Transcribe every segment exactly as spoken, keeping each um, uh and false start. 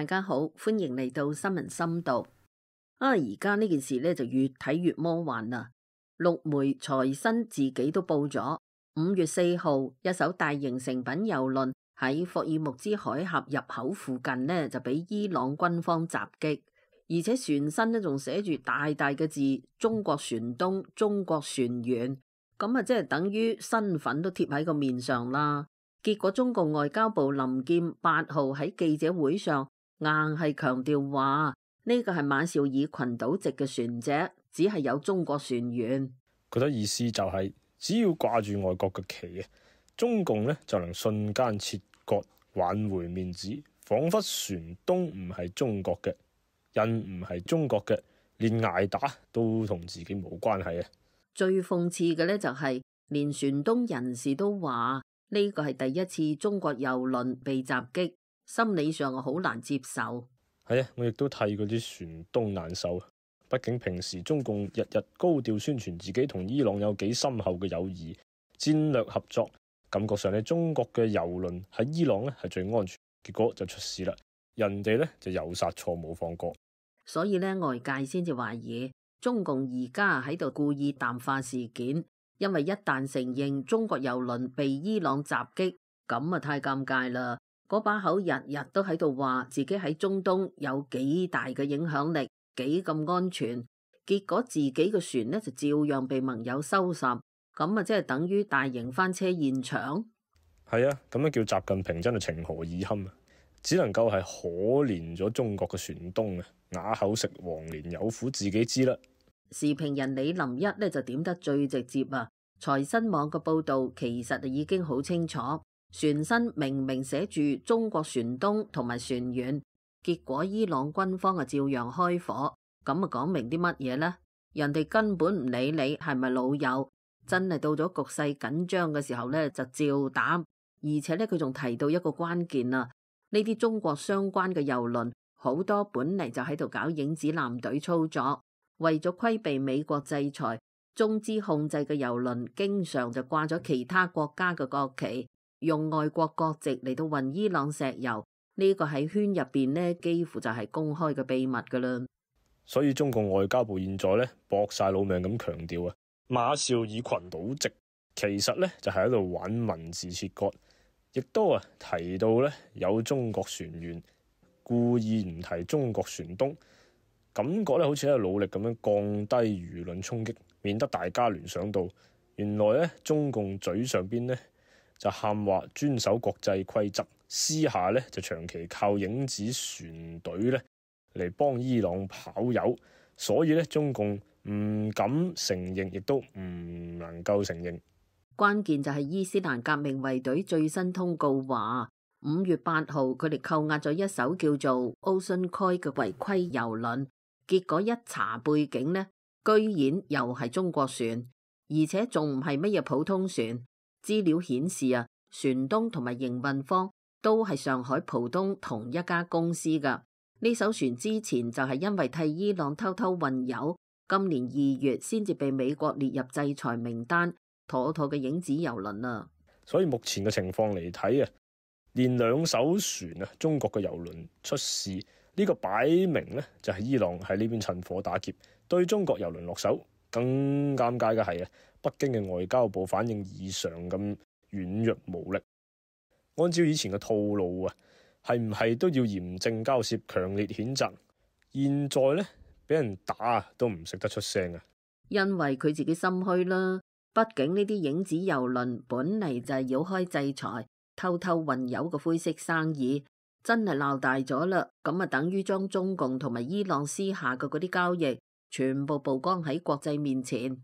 大家好，歡迎嚟到新聞深度。啊，而家呢件事咧就越睇越魔幻啦。陸媒財新自己都報咗，五月四號一艘大型成品郵輪喺霍爾木茲海峽入口附近呢，就俾伊朗軍方襲擊，而且船身呢仲寫住大大嘅字中國船東、中國船員，咁啊即係等於身份都貼喺個面上啦。結果中共外交部林劍八號喺記者會上硬係強調話呢個係馬紹爾群島籍嘅船隻，只係有中國船員。佢嘅意思就係、是、只要掛住外國嘅旗，中共呢就能瞬間切割，挽回面子，仿佛船東唔係中國嘅，人唔係中國嘅，連挨打都同自己冇關係啊！最諷刺嘅呢，就係、是、連船東人士都話呢個係第一次中國郵輪被襲擊，心理上好難接受。係啊，我亦都替嗰啲船東難受。畢竟平時中共日日高調宣傳自己同伊朗有幾深厚嘅友誼、戰略合作，感覺上咧中國嘅郵輪喺伊朗咧係最安全，結果就出事啦。人哋咧就有殺錯冇放過，所以咧外界先至懷疑中共而家喺度故意淡化事件。因為一旦承認中國郵輪被伊朗襲擊，咁啊太尷尬啦！嗰把口日日都喺度話自己喺中東有幾大嘅影響力，幾咁安全，結果自己嘅船呢就照樣被盟友收拾，咁啊即係等於大型翻車現場。係啊，咁樣叫習近平真係情何以堪啊！只能夠係可憐咗中國嘅船東啊，啞口食黃連，有苦自己知啦。時評人李林一呢就點得最直接啊！財新網嘅報道其實就已經好清楚，船身明明寫住中國船東同埋船員，結果伊朗軍方啊照樣開火，咁啊講明啲乜嘢呢？人哋根本唔理你係咪老友，真係到咗局勢緊張嘅時候呢，就照打，而且呢，佢仲提到一個關鍵啊，呢啲中國相關嘅郵輪好多本嚟就喺度搞影子艦隊操作。為咗規避美國制裁，中資控制嘅郵輪經常就掛咗其他國家嘅國旗，用外國國籍嚟到運伊朗石油。呢個喺圈入邊呢，幾乎就係公開嘅秘密噶啦。所以中共外交部現在咧搏晒老命咁強調啊，馬紹爾群島籍其實咧就係喺度玩文字切割，亦都啊提到咧有中國船員，故意唔提中國船東。感覺咧好似喺度努力咁樣降低輿論衝擊，免得大家聯想到原來咧中共嘴上邊咧就喊話遵守國際規則，私下咧就長期靠影子船隊咧嚟幫伊朗跑油，所以咧中共唔敢承認，亦都唔能夠承認。關鍵就係伊斯蘭革命衛隊最新通告話，五月八號佢哋扣押咗一艘叫做 Ocean Koi 嘅違規郵輪。結果一查背景呢，居然又係中國船，而且仲唔係乜嘢普通船。資料顯示啊，船東同埋營運方都係上海浦東同一家公司噶。呢艘船之前就係因為替伊朗偷偷運油，今年二月先至被美國列入制裁名單，妥妥嘅影子郵輪啊！所以目前嘅情況嚟睇啊，連兩艘船啊，中國嘅郵輪出事。呢個擺明咧就係伊朗喺呢邊趁火打劫，對中國郵輪落手。更尷尬嘅係啊，北京嘅外交部反應異常咁軟弱無力。按照以前嘅套路啊，係唔係都要嚴正交涉、強烈譴責？現在咧俾人打都唔識得出聲啊！因為佢自己心虛啦。畢竟呢啲影子郵輪本嚟就係繞開制裁、偷偷運油嘅灰色生意。真係鬧大咗啦，咁啊等於將中共同埋伊朗私下嘅嗰啲交易全部曝光喺國際面前。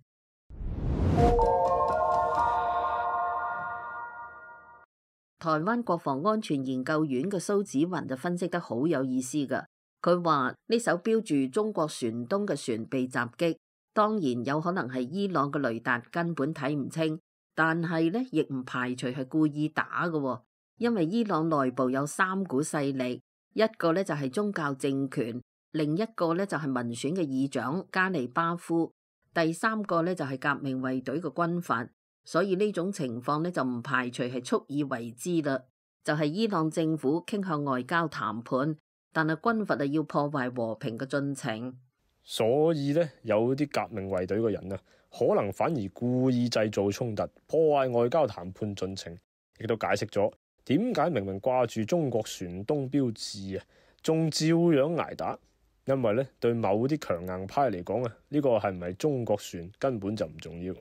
台灣國防安全研究院嘅蘇紫雲就分析得好有意思噶，佢話呢艘標住中國船東嘅船被襲擊，當然有可能係伊朗嘅雷達根本睇唔清，但係呢亦唔排除係故意打嘅。因為伊朗內部有三股勢力，一個咧就係宗教政權，另一個咧就係民選嘅議長加尼巴夫，第三個咧就係革命衛隊嘅軍閥。所以呢種情況咧就唔排除係蓄意為之啦，就係伊朗政府傾向外交談判，但係軍閥係要破壞和平嘅進程。所以咧，有啲革命衛隊嘅人啊，可能反而故意製造衝突，破壞外交談判進程，亦都解釋咗點解明明掛住中國船東標誌啊，仲照樣捱打。因為咧，對某啲強硬派嚟講啊，呢個係唔係中國船根本就唔重要。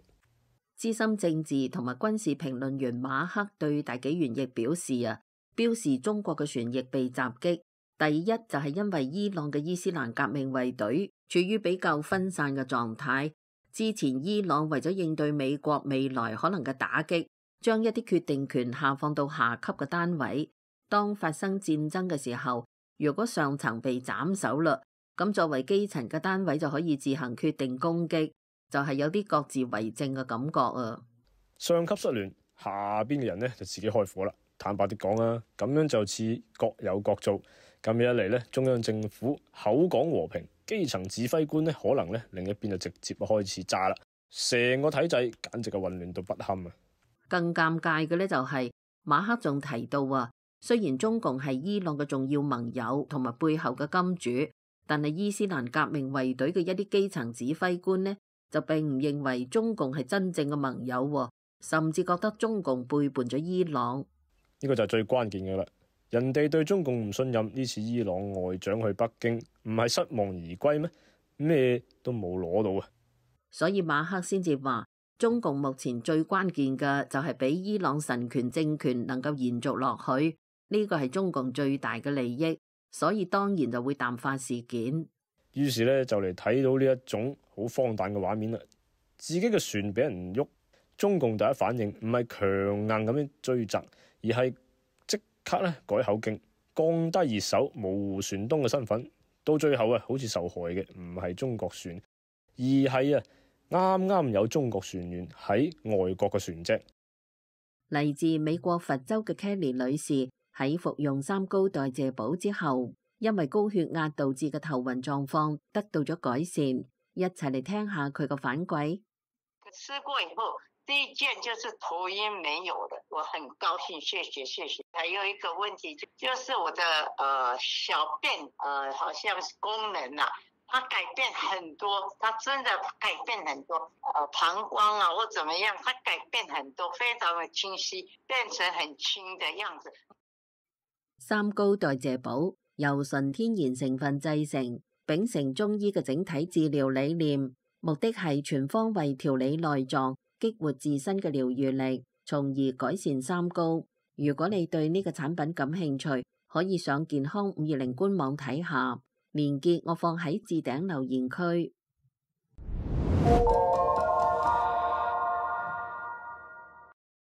資深政治同埋軍事評論員馬克對大紀元亦表示啊，標示中國嘅船亦被襲擊。第一就係因為伊朗嘅伊斯蘭革命衛隊處於比較分散嘅狀態。之前伊朗為咗應對美國未來可能嘅打擊，將一啲決定權下放到下級嘅單位。當發生戰爭嘅時候，如果上層被斬首啦，咁作為基層嘅單位就可以自行決定攻擊，就係有啲各自為政嘅感覺啊。上級失聯，下邊嘅人呢就自己開火啦。坦白啲講啊，咁樣就似各有各做。咁樣一嚟咧，中央政府口講和平，基層指揮官咧可能咧另一邊就直接開始炸啦，成個體制簡直係混亂到不堪啊！更尷尬嘅咧就係馬克仲提到啊，雖然中共係伊朗嘅重要盟友同埋背後嘅金主，但係伊斯蘭革命衛隊嘅一啲基層指揮官呢，就並唔認為中共係真正嘅盟友，甚至覺得中共背叛咗伊朗。呢個就係最關鍵嘅啦。人哋對中共唔信任，呢次伊朗外長去北京唔係失望而歸咩？咩都冇攞到啊！所以馬克先至話，中共目前最關鍵嘅就係俾伊朗神權政權能夠延續落去，呢個係中共最大嘅利益，所以當然就會淡化事件。於是咧就嚟睇到呢一種好荒誕嘅畫面啦，自己嘅船俾人喐，中共第一反應唔係強硬咁樣追責，而係刻咧改口徑，降低熱手，模糊船東嘅身份，到最後啊，好似受害嘅唔係中國船，而係啊啱啱有中國船員喺外國嘅船隻。嚟自美國佛州嘅 Kelly 女士喺服用三高代謝寶之後，因為高血壓導致嘅頭暈狀況得到咗改善，一齊嚟聽下佢個反饋。吃過以後，第一件就是頭暈沒有的，我很高興，謝謝謝謝。還有一個問題就就是我的呃小便呃好像是功能啊，它改變很多，它真的改變很多，呃膀胱啊或怎麼樣，它改變很多，非常的清晰，變成很輕的樣子。三高代謝寶由純天然成分製成，秉承中醫嘅整體治療理念，目的係全方位調理內臟，激活自身嘅療愈力，從而改善三高。如果你對呢個產品感興趣，可以上健康五二零官網睇下，連結我放喺置頂留言區。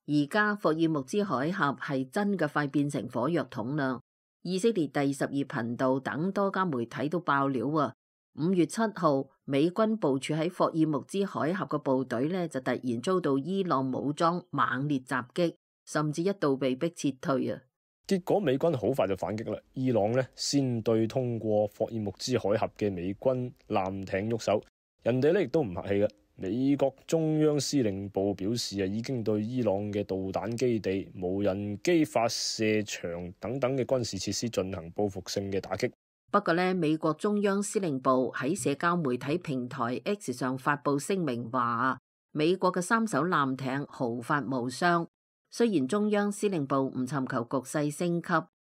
而家霍爾木茲海峽係真嘅快變成火藥桶啦！以色列第十二頻道等多家媒體都爆料啊！五月七號，美軍部署喺霍爾木茲海峽嘅部隊呢，就突然遭到伊朗武裝猛烈襲擊，甚至一度被迫撤退啊！結果美軍好快就反擊啦，伊朗呢，先對通過霍爾木茲海峽嘅美軍艦艇喐手，人哋呢亦都唔客氣嘅。美國中央司令部表示啊，已經對伊朗嘅導彈基地、無人機發射場等等嘅軍事設施進行報復性嘅打擊。不過呢，美國中央司令部喺社交媒體平台 X 上發布聲明話，美國嘅三艘艦艇毫發無傷。雖然中央司令部唔尋求局勢升級，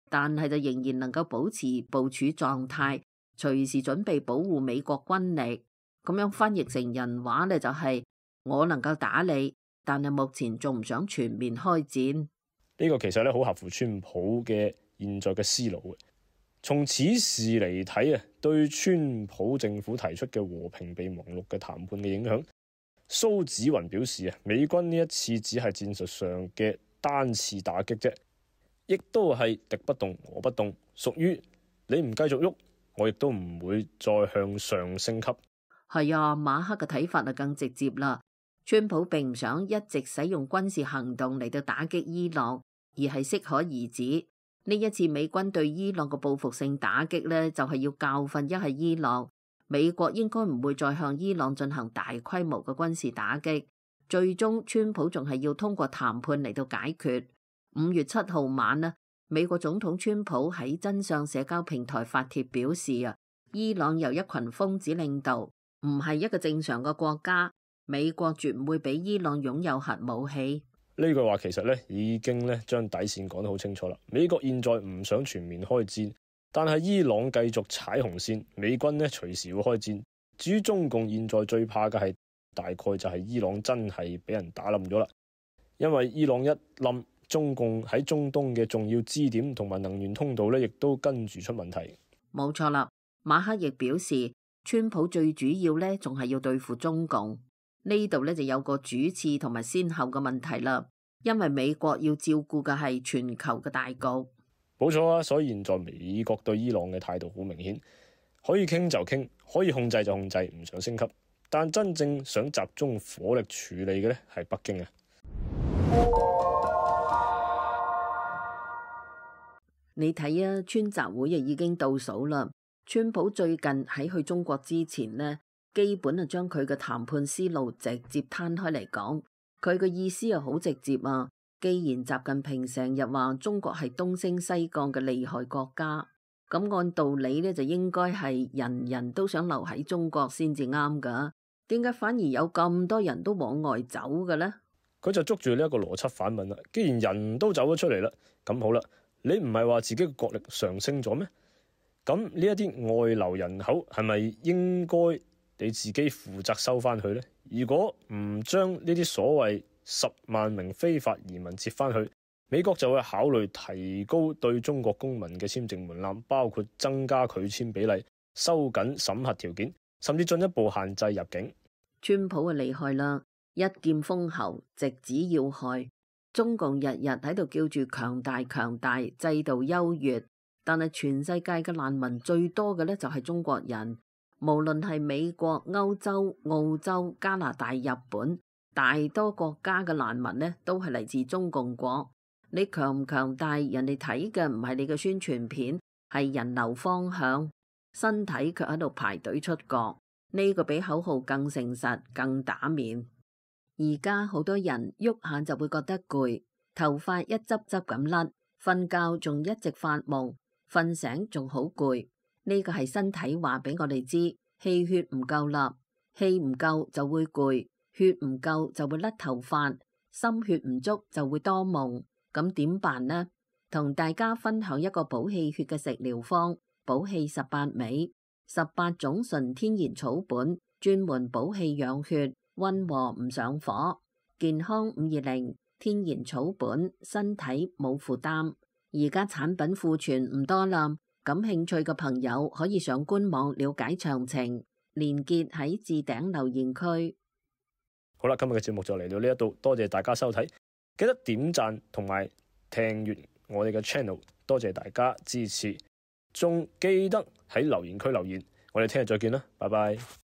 但係就仍然能夠保持部署狀態，隨時準備保護美國軍力。咁樣翻譯成人話呢，就係我能夠打你，但係目前仲唔想全面開戰。呢個其實咧好合乎川普嘅現在嘅思路嘅。從此事嚟睇啊，對川普政府提出嘅和平備忘錄嘅談判嘅影響，蘇紫雲表示啊，美軍呢一次只係戰術上嘅單次打擊啫，亦都係敵不動我不動，屬於你唔繼續喐，我亦都唔會再向上升級。係啊，馬克嘅睇法就更直接啦。川普並唔想一直使用軍事行動嚟到打擊伊朗，而係適可而止。呢一次美軍對伊朗嘅報復性打擊呢，就係要教訓一係伊朗。美國應該唔會再向伊朗進行大規模嘅軍事打擊。最終，川普仲係要通過談判嚟到解決。五月七號晚呢，美國總統川普喺真相社交平台發帖表示啊，伊朗由一群瘋子領導，唔係一個正常嘅國家，美國絕唔會俾伊朗擁有核武器。呢句話其實咧已經咧將底線講得好清楚啦。美國現在唔想全面開戰，但係伊朗繼續踩紅線，美軍咧隨時會開戰。至於中共現在最怕嘅係大概就係伊朗真係俾人打冧咗啦，因為伊朗一冧，中共喺中東嘅重要支點同埋能源通道咧，亦都跟住出問題。冇錯啦，馬克亦表示，川普最主要咧仲係要對付中共。呢度咧就有個主次同埋先後嘅問題啦，因為美國要照顧嘅係全球嘅大局。冇錯啊，所以現在美國對伊朗嘅態度好明顯，可以傾就傾，可以控制就控制，唔想升級。但真正想集中火力處理嘅咧係北京啊。你睇啊，川習會啊已經倒數啦。川普最近喺去中國之前呢，基本啊將佢嘅談判思路直接攤開嚟講，佢嘅意思啊好直接啊。既然習近平成日話中國係東升西降嘅厲害國家，咁按道理呢，就應該係人人都想留喺中國先至啱噶，點解反而有咁多人都往外走嘅呢？佢就捉住呢一個邏輯反問啦。既然人都走咗出嚟啦，咁好啦，你唔係話自己嘅國力上升咗咩？咁呢一啲外流人口係咪應該你自己負責收翻去呢？如果唔將呢啲所謂十萬名非法移民接翻去，美國就會考慮提高對中國公民嘅簽證門檻，包括增加拒簽比例、收緊審核條件，甚至進一步限制入境。川普啊厲害啦，一劍封喉，直指要害。中共日日喺度叫住強大強大，制度優越。但係全世界嘅難民最多嘅咧就係中國人，無論係美國、歐洲、澳洲、加拿大、日本，大多國家嘅難民呢都係嚟自中共國。你強唔強大，人哋睇嘅唔係你嘅宣傳片，係人流方向，身體卻喺度排隊出國。呢個比口號更誠實、更打面。而家好多人喐下就會覺得攰，頭髮一執執咁甩，瞓覺仲一直發夢。瞓醒仲好攰，呢個係身體話俾我哋知，氣血唔夠啦，氣唔夠就會攰，血唔夠就會甩頭髮，心血唔足就會多夢。咁點辦呢？同大家分享一個補氣血嘅食療方，補氣十八味，十八種純天然草本，專門補氣養血，溫和唔上火，健康五二零，天然草本，身體冇負擔。而家產品庫存唔多啦，感興趣嘅朋友可以上官網了解詳情，連結喺置頂留言區。好啦，今日嘅節目就嚟到呢一度，多謝大家收睇，記得點讚同埋訂閱我哋嘅 channel， 多謝大家支持，仲記得喺留言區留言，我哋聽日再見啦，拜拜。